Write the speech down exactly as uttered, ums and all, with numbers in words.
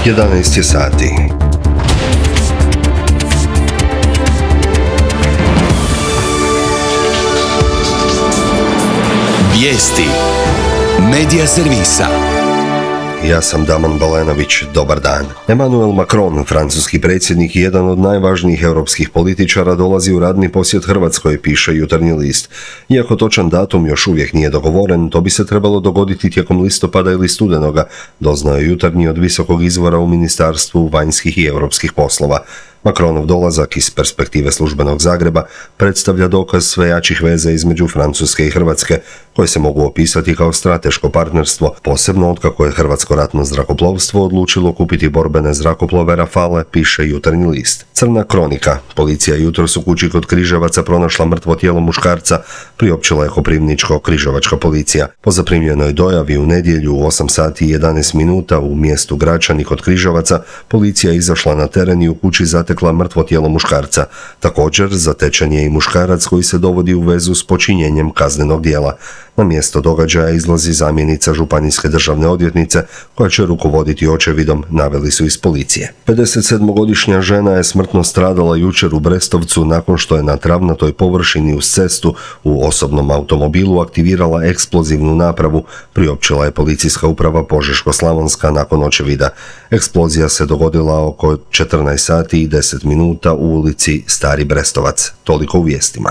jedanaest je sati. Vijesti Medija servisa. Ja sam Damon Balenović, dobar dan. Emmanuel Macron, francuski predsjednik i jedan od najvažnijih europskih političara, dolazi u radni posjet Hrvatskoj, piše Jutarnji list. Iako točan datum još uvijek nije dogovoren, to bi se trebalo dogoditi tijekom listopada ili studenoga, doznao je Jutarnji od visokog izvora u Ministarstvu vanjskih i europskih poslova. Macronov dolazak iz perspektive službenog Zagreba predstavlja dokaz sve jačih veza između Francuske i Hrvatske, koje se mogu opisati kao strateško partnerstvo, posebno otkako je Hrvatsko ratno zrakoplovstvo odlučilo kupiti borbene zrakoplove Rafale, piše Jutarnji list. Crna kronika. Policija jutros u kući kod Križevaca pronašla mrtvo tijelo muškarca, priopćila je Koprivničko-križevačka policija. Po zaprimljenoj dojavi u nedjelju u osam sati i jedanaest minuta u mjestu Gračani kod Križevaca, policija je izašla na teren i u kući zatekla mrtvo tijelo muškarca. Također, zatečen je i muškarac koji se dovodi u vezu s počinjenjem kaznenog djela. Na mjesto događaja izlazi zamjenica županijske državne odvjetnice koja će rukovoditi očevidom, naveli su iz policije. pedesetsedmogodišnja žena je smrtno stradala jučer u Brestovcu nakon što je na travnatoj površini uz cestu u osobnom automobilu aktivirala eksplozivnu napravu, priopćila je policijska uprava Požeško-slavonska nakon očevida. Eksplozija se dogodila oko četrnaest sati i deset minuta u ulici Stari Brestovac. Toliko u vijestima.